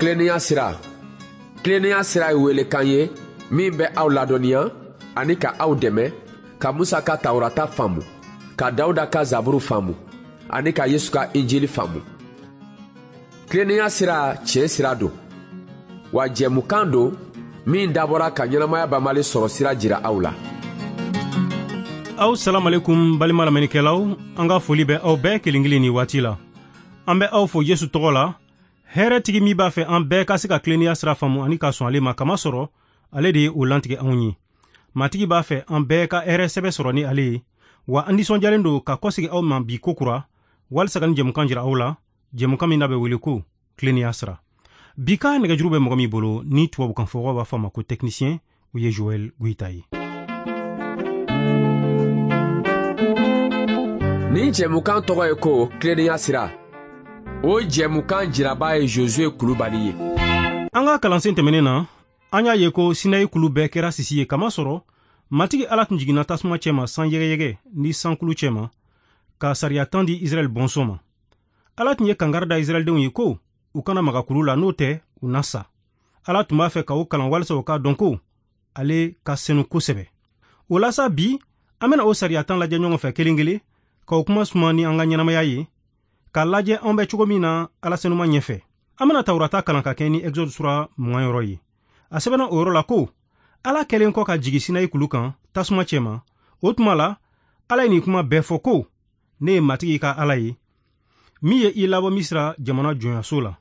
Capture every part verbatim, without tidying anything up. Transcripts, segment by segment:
Tilennenya sira. Tilennenya sira ye welekan ye min bɛ aw ladɔnniya ani ka aw dɛmɛ ka Musa ka Tawurata faamu, ka Dawuda ka Zaburu faamu ani ka Yesu ka Injili faamu. Tilennenya sira tiɲɛ sira don, wa jɛmukan don min dabɔra ka ɲɛnamaya banbali sɔrɔ sira jira aw la. Aw salamalekum balima lamɛnnikɛlaw, an ka foli bɛ aw bɛɛ kelen kelen ni waati la. An bɛ aw fo Yesu tɔgɔ la, hɛrɛtigi min b'a fɛ an bɛɛ ka se ka tilennenya sira faamu ani ka sɔn ale ma, kamasɔrɔ ale de ye o lantigɛ anw ye. Matigi b'a fɛ an bɛɛ ka hɛrɛ sɛbɛ sɔrɔ ni ale ye, wa an nisɔndiyalen don ka kɔsegi aw ma bi kokura walisa ka nin jɛmukan jira aw la, jɛmukan min n'a bɛ wele ko tilennenya sira. Bi ka nɛgɛjuru bɛ mɔgɔ min bolo ni tubabukan fɔbagaw b'a fɔ a ma ko technicien, o ye Joël Goïta ye. Nin jɛmukan tɔgɔ ye ko tilennenya sira. O jɛmukan jiraba ye Josué Kulubali ye. An ka kalansen tɛmɛnen na, an y'a ye ko Sinayi kulu bɛɛ kɛra sisi ye, kamasɔrɔ Matigi Ala tun jiginna tasuma cɛma san yɛgɛyɛgɛ ni sankulu cɛma ka sariya tan di Israɛl bɔnsɔn ma. Ala tun ye kangari da Israɛldenw ye ko u kana maga kulu la, n'o tɛ u na sa. Ala tun b'a fɛ ka o kalan walisa u k'a dɔn ko ale ka senu kosɛbɛ. O la sa, bi an bɛna o sariya tan lajɛ ɲɔgɔn fɛ kelen kelen, k'o kuma suma ni an ka ɲɛnamaya ye, k'a lajɛ an bɛ cogo min na Ala senuma ɲɛfɛ. An bɛna Tawurata kalan ka kɛ ni Exode sura mugan yɔrɔ ye. A sɛbɛnna o yɔrɔ la ko Ala kɛlen kɔ ka jigin Sinayi kulu kan tasuma cɛma, o tuma la Ala ye nin kuma bɛɛ fɔ ko ne ye Matigi ka Ala ye min ye i labɔ Misira jamana jɔnyaso la.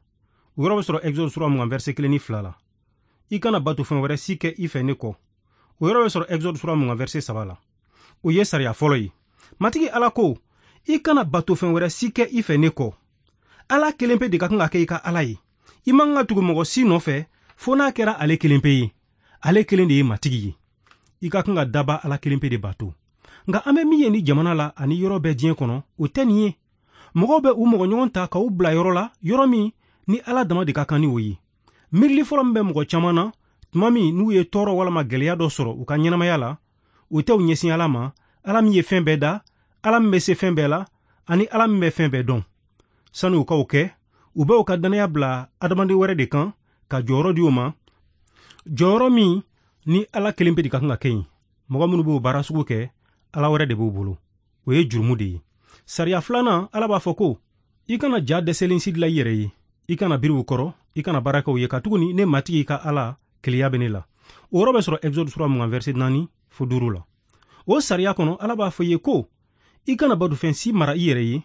O yɔrɔ bɛ sɔrɔ Exode sura mugan verset kelen ni fila la. I kana bato fɛn wɛrɛ si kɛ i fɛ ne kɔ. O yɔrɔ bɛ sɔrɔ Exode sura mugan verset saba la. O ye sariya fɔlɔ ye. Matigi Ala ko i kana bato fɛn wɛrɛ si kɛ i fɛ ne kɔ. Ala kelen pe de ka kan ka kɛ i ka Ala ye. I man ka tugu mɔgɔ si nɔfɛ fo n'a kɛra ale kelen pe ye. Ale kelen de ye Matigi ye. I ka kan ka daba Ala kelen pe de bato. Nka an bɛ min ye ni jamana la ani yɔrɔ bɛɛ diɲɛ kɔnɔ, o tɛ nin ye. Mɔgɔw bɛ u mɔgɔ ɲɔgɔn ta k'u bila yɔrɔ la, yɔrɔ min ni Ala dama de ka kan ni o ye. Miirili fɔlɔ min bɛ mɔgɔ caman na tuma min n'u ye tɔɔrɔ walama gɛlɛya dɔ sɔrɔ u ka ɲɛnamaya la, o tɛ u ɲɛsin Ala ma, Ala min ye fɛn bɛɛ da, Ala min bɛ se fɛn bɛɛ la, ani Ala min bɛ fɛn bɛɛ dɔn. Sani u k'o kɛ, u bɛ u ka dannaya bila adamaden wɛrɛ de kan ka jɔyɔrɔ di o ma, jɔyɔrɔ min ni Ala kelen pe de ka kan ka kɛ yen. Mɔgɔ minnu b'o baara sugu kɛ, Ala wɛrɛ de b'u bolo. O ye jurumu de ye. Sariya filanan, Ala b'a fɔ ko i kana ja dɛsɛlen si dilan i yɛrɛ ye, i kana biri u kɔrɔ, i kana baara kɛ u ye, katuguni ne Matigi ka Ala keleya bɛ ne la. O yɔrɔ bɛ sɔrɔ Exode sura mugan verset naani fo duuru la. O sariya kɔnɔ, Ala b'a fɔ i ye ko i kana batofɛn si mara i yɛrɛ ye.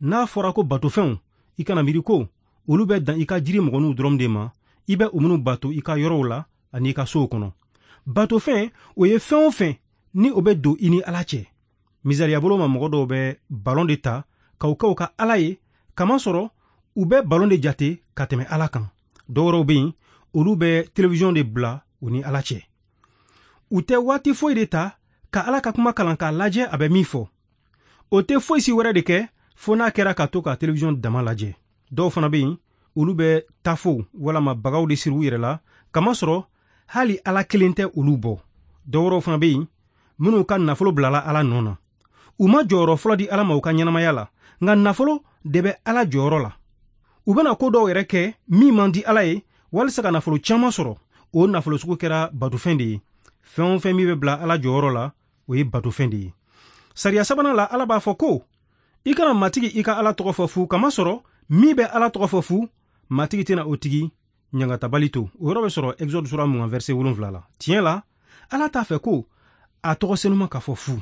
N'a fɔra ko batofɛnw, i kana miiri ko olu bɛ dan i ka jiri mɔgɔninw dɔrɔn de ma, i bɛ u minnu bato i ka yɔrɔw la ani i ka sow kɔnɔ. Batofɛn, o ye fɛn o fɛn ni o bɛ don i ni Ala cɛ. Misaliya bolo ma, mɔgɔ dɔw bɛ balon de ta k'o kɛ u ka Ala ye, kamasɔrɔ u bɛ balon de jate ka tɛmɛ Ala kan. Dɔw wɛrɛw bɛ yen, olu bɛ télévision de bila u ni Ala cɛ. U tɛ waati foyi de ta ka Ala ka kuma kalan k'a lajɛ a bɛ min fɔ. O tɛ foyi si wɛrɛ de kɛ fo n'a kɛra ka to ka télévision dama lajɛ. Dɔw fana bɛ yen, olu bɛ tafow walama bagaw de siri u yɛrɛ la, kamasɔrɔ hali Ala kelen tɛ olu bɔ. Dɔw wɛrɛw fana bɛ yen minnu ka nafolo bilala Ala nɔ na. U ma jɔyɔrɔ fɔlɔ di Ala ma u ka ɲɛnamaya la, nka nafolo de bɛ Ala jɔyɔrɔ la. U bɛna ko dɔw yɛrɛ kɛ min man di Ala ye walisa ka nafolo caman sɔrɔ. O nafolo sugu kɛra batofɛn de ye. Fɛn o fɛn min bɛ bila Ala jɔyɔrɔ la, o ye batofɛn de ye. Sariya sabanan la, Ala b'a fɔ ko i kana Matigi i ka Ala tɔgɔ fɔ fu, kamasɔrɔ min bɛ Ala tɔgɔ fɔ fu, Matigi tɛna o tigi ɲangatabali to. O yɔrɔ bɛ sɔrɔ Exode sura mugan verset wolonwula la. Tiɲɛ la, Ala t'a fɛ ko a tɔgɔ senuma ka fɔ fu,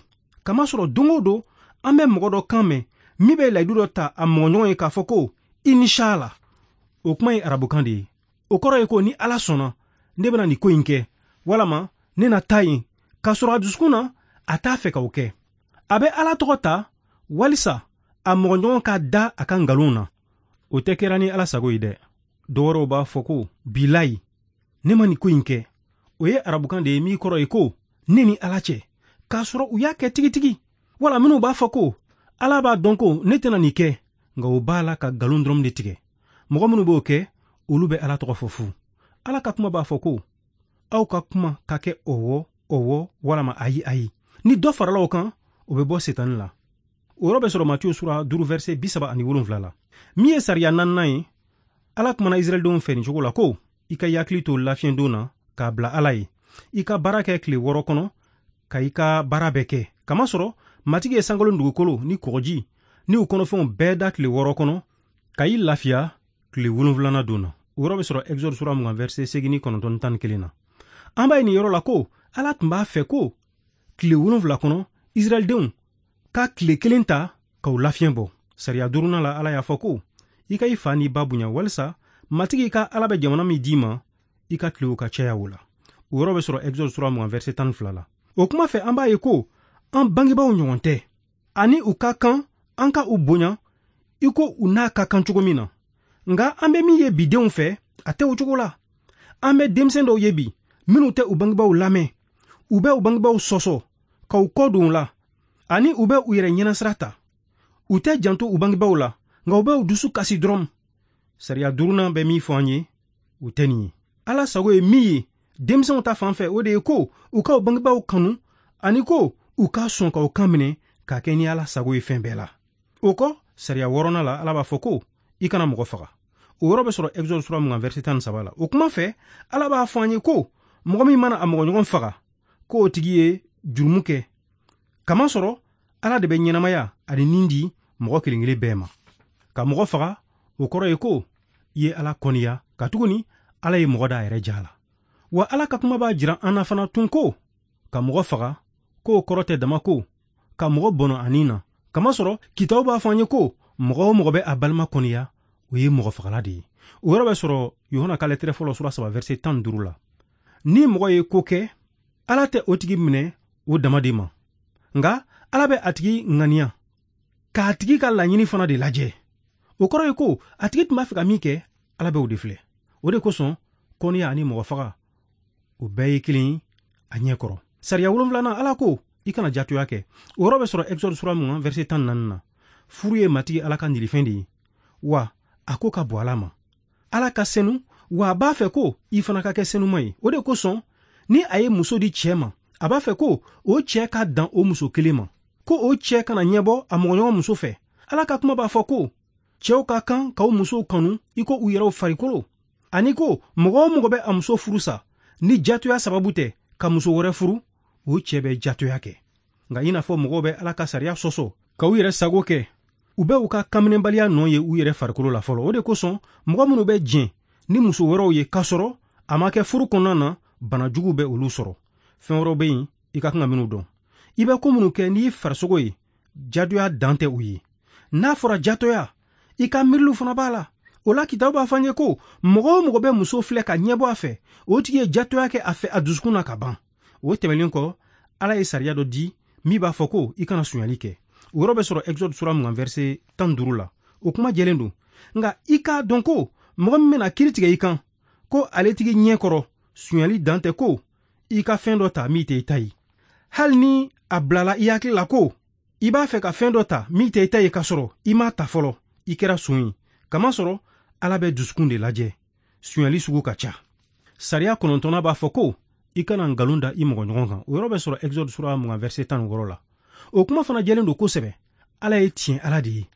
kamasɔrɔ don o don an bɛ mɔgɔ dɔ kan mɛn min bɛ layidu dɔ ta a mɔgɔɲɔgɔn ye k'a fɔ ko inshallah. O kuma ye arabukan de ye. O kɔrɔ ye ko ni Ala sɔnna, ne bɛna nin ko in kɛ, walama ne na taa yen, k'a sɔrɔ a dusukun na a t'a fɛ k'o kɛ. A bɛ Ala tɔgɔ ta walisa a mɔgɔɲɔgɔn ka da a ka nkalon na. O tɛ kɛra ni Ala sago ye dɛ. Dɔw wɛrɛw b'a fɔ ko bilayi, ne ma nin ko in kɛ. O ye arabukan de ye min kɔrɔ ye ko ne ni Ala cɛ, k'a sɔrɔ u y'a kɛ tigitigi. Wala minnu b'a fɔ ko Ala b'a dɔn ko ne tɛna nin kɛ, nka o b'a la ka nkalon dɔrɔn de tigɛ. Mɔgɔ minnu b'o kɛ, olu bɛ Ala tɔgɔ fɔ fu. Ala ka kuma b'a fɔ ko aw ka kuma ka kɛ ɔwɔ ɔwɔ walama ayi ayi. Ni dɔ farala o kan, o bɛ bɔ Setani la. O yɔrɔ bɛ sɔrɔ Matiyu sura duuru verset bi saba ani wolonwula la. Min ye sariya naaninan ye, Ala kumana Israɛldenw fɛ nin cogo la ko i ka i hakili to lafiɲɛdon na k'a bila Ala ye. I ka baara kɛ tile wɔɔrɔ kɔnɔ ka i ka baara bɛɛ kɛ. Kamasɔrɔ Matigi ye sankolo ni dugukolo ni kɔgɔji ni u kɔnɔfɛnw bɛɛ da tile wɔɔrɔ kɔnɔ ka i lafiya tile wolonwulanan don na. O yɔrɔ bɛ sɔrɔ Exode sura mugan verset seegin ni kɔnɔntɔn ni tan ni kelen na. An b'a ye nin yɔrɔ la ko Ala tun b'a fɛ ko tile wolonwula kɔnɔ Israɛldenw ka tile kelen ta k'u lafiɲɛ bɔ. Sariya duurunan la Ala y'a fɔ ko i ka i fa n'i ba bonya walisa Matigi ka Ala bɛ jamana min d'i ma i ka tilew ka caya o la. O yɔrɔ bɛ sɔrɔ Exode sura mugan verset tan ni fila la. O kuma fɛ an b'a ye ko an bangebaaw ɲɔgɔn tɛ ani u ka kan an ka u bonya i ko u n'a ka kan cogo min na. Nka an bɛ min ye bidenw fɛ a tɛ o cogo la. An bɛ denmisɛn dɔw ye bi minnu tɛ u bangebaaw lamɛn, u bɛ u bangebaaw sɔsɔ ka u kɔ don u la ani u bɛ u yɛrɛ ɲɛnasira ta. U tɛ janto u bangebaaw la nka u bɛ u dusu kasi dɔrɔn. Sariya duurunan bɛ min fɔ an ye o tɛ nin ye. Ala sago ye min ye denmisɛnw ta fan fɛ o de ye ko u ka u bangebaaw kanu ani ko u ka sɔn ka u kan minɛ k'a kɛ ni Ala sago ye fɛn bɛɛ la. O kɔ sariya wɔɔrɔnan la Ala b'a fɔ ko i kana mɔgɔ faga. O yɔrɔ bɛ sɔrɔ Exode sura mugan verset tan ni saba la. O kuma fɛ Ala b'a fɔ an ye ko mɔgɔ min mana a mɔgɔɲɔgɔn faga k'o tigi ye jurumu kɛ. Kamasɔrɔ Ala de bɛ ɲɛnamaya ani nin di mɔgɔ kelen kelen bɛɛ ma. Ka mɔgɔ faga o kɔrɔ ye ko i ye Ala kɔniya katuguni Ala ye mɔgɔ da a yɛrɛ ja la. Wa Ala ka kuma b'a jira an na fana tun ko ka mɔgɔ faga k'o kɔrɔ tɛ dama ko ka mɔgɔ bɔnɔ a nin na. Kamasɔrɔ kitabu b'a fɔ an ye ko mɔgɔ o mɔgɔ bɛ a balima kɔniya o ye mɔgɔ fagala de ye. O yɔrɔ bɛ sɔrɔ Yohana ka lɛtɛrɛ fɔlɔ sura saba verset tan ni duuru la. Ni mɔgɔ ye ko kɛ Ala tɛ o tigi minɛ o dama de ma, nka Ala bɛ a tigi ŋaniya k'a tigi ka laɲini fana de lajɛ. O kɔrɔ ye ko a tigi tun b'a fɛ ka min kɛ Ala bɛ o de filɛ. O de kosɔn kɔniya ani mɔgɔ faga o bɛɛ ye kelen a ɲɛ kɔrɔ. Sariya wolonwulanan Ala ko i kana jatoya kɛ. O yɔrɔ bɛ sɔrɔ Exode sura mugan verset tan ni naani na. Furu ye Matigi Ala ka nilifɛn de ye wa a ko ka bɔ Ala ma. Ala ka senu wa a b'a fɛ ko i fana ka kɛ senuma ye. O de kosɔn ni a ye muso di cɛ ma a b'a fɛ ko o cɛ ka dan o muso kelen ma, ko o cɛ kana ɲɛbɔ a mɔgɔɲɔgɔn muso fɛ. Ala ka kuma b'a fɔ ko cɛw ka kan k'aw musow kanu i ko u yɛrɛw farikolo, ani ko mɔgɔ o mɔgɔ bɛ a muso furu sa ni jatoya sababu tɛ ka muso wɛrɛ furu o cɛ bɛ jatoya kɛ. Nka i n'a fɔ mɔgɔw bɛ Ala ka sariya sɔsɔ ka u yɛrɛ sago kɛ, u bɛ u ka kanminɛbaliya nɔ ye u yɛrɛ farikolo la fɔlɔ. O de kosɔn mɔgɔ minnu bɛ jɛn ni muso wɛrɛw ye k'a sɔrɔ a ma kɛ furu kɔnɔna na bana jugu bɛ olu sɔrɔ. Fɛn wɛrɛw bɛ yen i ka kan ka minnu dɔn. I bɛ ko minnu kɛ n'i farisogo ye jatoya dan tɛ u ye. N'a fɔra jatoya i ka miiriliw fana b'a la. O la kitabu b'a fɔ an ye ko mɔgɔ o mɔgɔ bɛ muso filɛ ka ɲɛbɔ a fɛ o tigi ye jatoya kɛ a fɛ a dusukun na ka ban. O tɛmɛnen kɔ Ala ye sariya dɔ di min b'a fɔ ko i kana sonyali kɛ. O yɔrɔ bɛ sɔrɔ Exode sura mugan verset tan ni duuru la. O kuma jɛlen don. Nka i k'a dɔn ko mɔgɔ min bɛna kiiri tigɛ i kan ko ale tigi ɲɛ kɔrɔ sonyali dan tɛ ko i ka fɛn dɔ ta min tɛ i ta ye. Hali ni a bilala i hakili la ko i b'a fɛ ka fɛn dɔ ta min tɛ i ta ye k'a sɔrɔ i m'a ta fɔlɔ, i kɛra son ye. Kamasɔrɔ Ala bɛ dusukun de lajɛ. Sonyali sugu ka ca. Sariya kɔnɔntɔnnan b'a fɔ ko i kana nkalon da i mɔgɔɲɔgɔn kan. O yɔrɔ bɛ sɔrɔ Exode sura mugan verset tan ni wɔɔrɔ la. O kuma fana jɛlen don kosɛbɛ. Ala ye tiɲɛ Ala de ye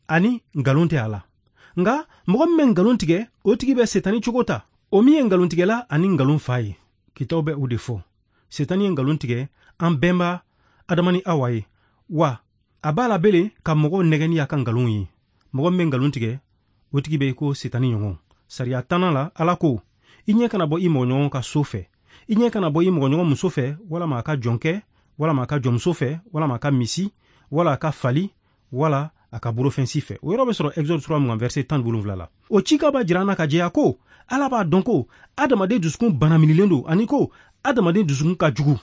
ani nkalon tɛ a la. Nka mɔgɔ min bɛ nkalon tigɛ o tigi bɛ setani cogo ta, o min ye nkalontigɛla ani nkalon fa ye. Kitabu bɛ o de fɔ. Setani ye nkalon tigɛ an bɛnba Adama ni Awa ye, wa a b'a la bele ka mɔgɔw nɛgɛ ni a ka nkalon ye. Mɔgɔ min bɛ nkalon tigɛ o tigi bɛ i ko setani ɲɔgɔn. Sariya tannan la Ala ko i ɲɛ kana bɔ i mɔgɔɲɔgɔn ka so fɛ, i ɲɛ kana bɔ i mɔgɔɲɔgɔn muso fɛ walama a ka jɔnkɛ walama a ka jɔnmuso fɛ walama a ka misi wala a ka fali wala a ka bolofɛn si fɛ. O yɔrɔ bɛ sɔrɔ Exode sura mugan verset tan ni wolonwula la. O cikan b'a jira an na ka jɛya ko Ala b'a dɔn ko adamaden dusukun banaminilen don ani ko adamaden dusukun ka jugu.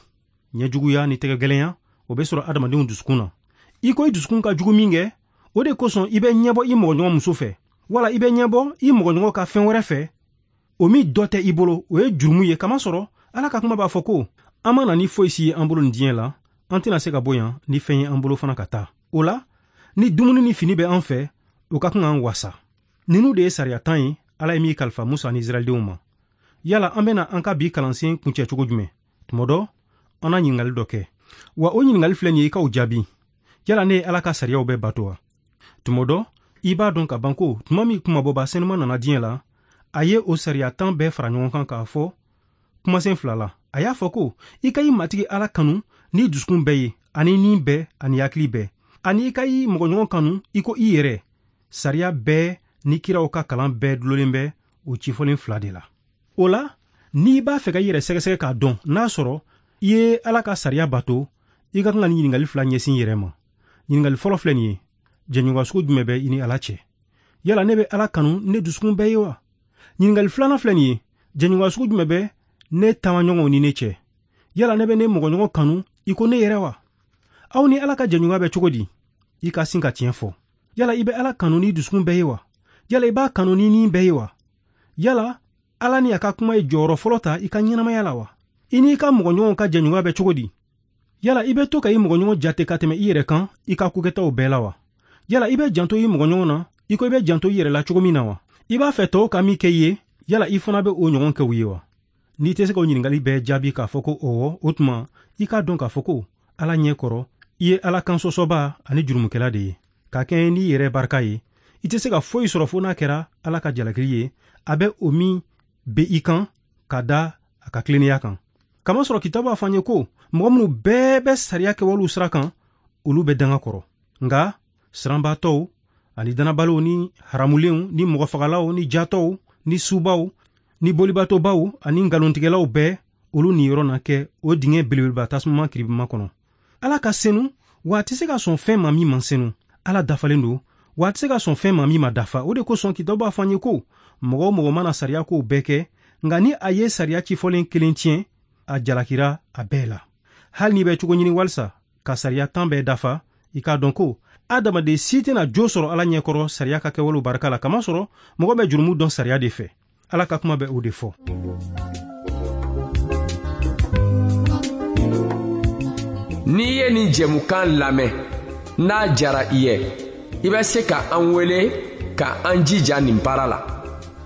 Ɲɛjuguya ni tɛgɛgɛlɛnya o bɛ sɔrɔ adamadenw dusukun na. I ko i dusukun ka jugu min kɛ o de kosɔn i bɛ ɲɛbɔ i mɔgɔɲɔgɔn muso fɛ wala i bɛ ɲɛbɔ i mɔgɔɲɔgɔn ka fɛn wɛrɛ fɛ o min dɔ tɛ i bolo, o ye jurumu ye. Kamasɔrɔ Ala ka kuma b'a fɔ ko an ma na ni foyi si ye an bolo nin diɲɛ la, an tɛna se ka bɔ yan ni fɛn ye an bolo fana ka taa. O la ni dumuni ni fini bɛ an fɛ o ka kan k'an wasa. Ninnu de ye sariya tan ye Ala ye min kalifa Musa ni Israɛldenw ma. Yala an bɛna an ka bi kalansen kuncɛ cogo jumɛn? Tuma dɔ an na ɲininkali dɔ kɛ, wa o ɲininkali filɛ nin ye i k'o jaabi. Yala ne ye Ala ka sariyaw bɛɛ bato wa? Tuma dɔ i b'a dɔn ka ban ko tuma min kumabɔba senuman nana diɲɛ la, A ye o sariya tan bɛɛ fara ɲɔgɔn kan k'a fɔ kumasen fila la. A y'a fɔ ko i ka i Matigi Ala kanu ni dusukun bɛɛ ye, ani ni bɛɛ, ani hakili bɛɛ, ani i ka i mɔgɔɲɔgɔn kanu i ko i yɛrɛ. Sariya bɛɛ ni kiraw ka kalan bɛɛ dulolen bɛ o cifɔlen fila de la. O la, n'i b'a fɛ ka i yɛrɛ sɛgɛsɛgɛ k'a dɔn n'a sɔrɔ i ye Ala ka sariya bato, i ka kan ka nin ɲininkali fila ɲɛsin i yɛrɛ ma. Ɲininkali fɔlɔ filɛ nin ye: jɛɲɔgɔnya sugu jumɛn bɛ i ni Ala cɛ? Yala ne bɛ Ala kanu ne dusukun bɛɛ ye wa? Ɲininkali filanan filɛ nin ye: jɛɲɔgɔnya sugu jumɛn bɛ ne taamaɲɔgɔnw ni ne cɛ? Yala ne bɛ ne mɔgɔɲɔgɔn kanu i ko ne yɛrɛ wa? Aw ni Ala ka jɛɲɔgɔnya bɛ cogo di? I ka sin ka tiɲɛ fɔ. Yala i bɛ Ala kanu ni dusukun bɛɛ ye wa? Yala i b'a kanu ni ni bɛɛ ye wa? Yala Ala ni a ka kuma ye jɔyɔrɔ fɔlɔ ta i ka ɲɛnamaya la wa? I n'i ka mɔgɔɲɔgɔnw ka jɛɲɔgɔnya bɛ cogo di? Yala i bɛ to ka i mɔgɔɲɔgɔn jate ka tɛmɛ i yɛrɛ kan i ka kokɛtaw bɛɛ la wa? Yala i bɛ janto i mɔgɔɲɔgɔn na i ko i bɛ janto i yɛrɛ la cogo min na wa? I b'a fɛ tɔw ka min kɛ i ye, yala i fana bɛ o ɲɔgɔn kɛ u ye wa? N'i tɛ se k'o ɲininkali bɛɛ jaabi k'a fɔ ko ɔwɔ, o tuma i k'a dɔn k'a fɔ ko Ala ɲɛ kɔrɔ i ye Ala kan sɔsɔba ani jurumukɛla de ye. Ka kɛɲɛ n'i yɛrɛ barika ye, i tɛ se ka foyi sɔrɔ fo n'a kɛra Ala ka jalakili ye, a bɛ o min bɛ i kan ka da a ka tilennenya kan. Kamasɔrɔ kitabu b'a fɔ an ye ko mɔgɔ minnu bɛɛ bɛ sariya kɛwalew sira kan, olu bɛ danga kɔrɔ. Nka siranbaatɔw ani dannabaliw ni haramulenw ni mɔgɔfagalaw ni jatɔw ni subaw ni bolibatɔbaw ani nkalontigɛlaw bɛɛ, olu niyɔrɔ na kɛ o dingɛ belebeleba tasuma kiribima kɔnɔ. Ala ka senu, wa a tɛ se ka sɔn fɛn ma min man senu. Ala dafalen don, wa a tɛ se ka sɔn fɛn ma min ma dafa. O de kosɔn kitabu b'a fɔ an ye ko mɔgɔ o mɔgɔ mana sariya kow bɛɛ kɛ, nka ni a ye sariya cifɔlen kelen tiɲɛ, a jalakira a bɛɛ la. Hali n'i bɛ cogo ɲini walisa ka sariya tan bɛɛ dafa, i k'a dɔn ko adamaden si tɛna jo sɔrɔ Ala ɲɛkɔrɔ sariya ka kɛwalew barika la, kamasɔrɔ mɔgɔ bɛ jurumu dɔn sariya de fɛ. Ala ka kuma bɛ o de fɔ. N'i ye nin jɛmukan lamɛn, n'a jara i ye, i bɛ se ka an wele ka an jija nin baara la.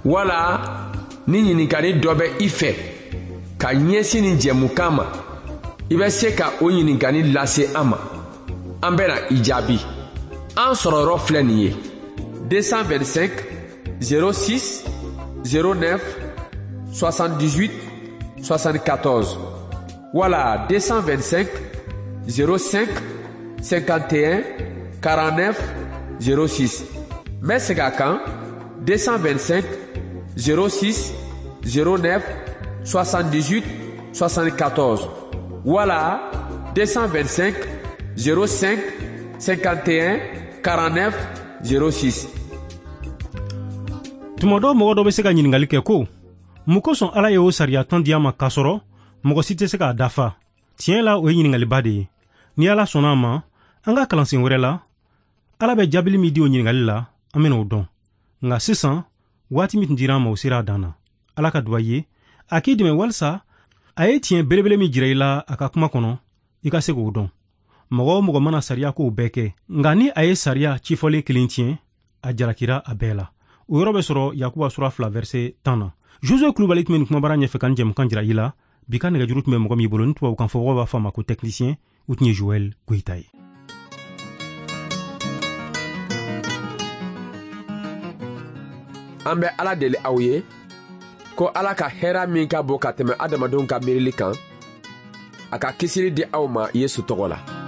Wala ni ɲininkali dɔ bɛ i fɛ ka ɲɛsin nin jɛmukan ma, i bɛ se ka o ɲininkali lase an ma. An bɛna i jaabi. An sɔrɔyɔrɔ filɛ nin ye: deux cent vingt-cinq zéro six zéro neuf soixante-dix-huit soixante-quatorze wala deux cent vingt-cinq zéro cinq cinquante et un quarante-neuf zéro six. N bɛ segin a kan: deux cent vingt-cinq zéro six zéro neuf soixante-dix-huit soixante-quatorze wala deux cent vingt-cinq zéro cinq cinquante et un quarante-neuf zéro six. Tuma dɔ mɔgɔ dɔ bɛ se ka ɲininkali kɛ ko mun kosɔn Ala ye o sariya tan di an ma k'a sɔrɔ mɔgɔ si tɛ se k'a dafa? Tiɲɛ la, o ye ɲininkaliba de ye. Ni Ala sɔnna a ma, an ka kalansen wɛrɛ la, Ala bɛ jaabili min di o ɲininkali la, an bɛna o dɔn. Nka sisan, waati min tun dira an ma, o sera a dan na. Ala ka duba ye, a k'i dɛmɛ walisa a ye tiɲɛ belebele min jira i la a ka kuma kɔnɔ, i ka se k'o dɔn. Mɔgɔ o mɔgɔ mana sariya kow bɛɛ kɛ, nka ni a ye sariya cifɔlen kelen tiɲɛ, a jalakira a bɛɛ la. O yɔrɔ bɛ sɔrɔ Yakuba sura fila verset tan na. Josue Kulubali tun bɛ nin kumabara ɲɛfɛ ka nin jɛmukan jira i la. Bi ka nɛgɛjuru tun bɛ mɔgɔ min bolo, ni tubabukan fɔbagaw b'a fɔ a ma ko technicien, o tun ye Joël Goyita ye. An bɛ Ala deli aw ye ko Ala ka hɛrɛ min ka bon ka tɛmɛ adamadenw ka miirili kan, a ka kisili di aw ma Yesu tɔgɔ la.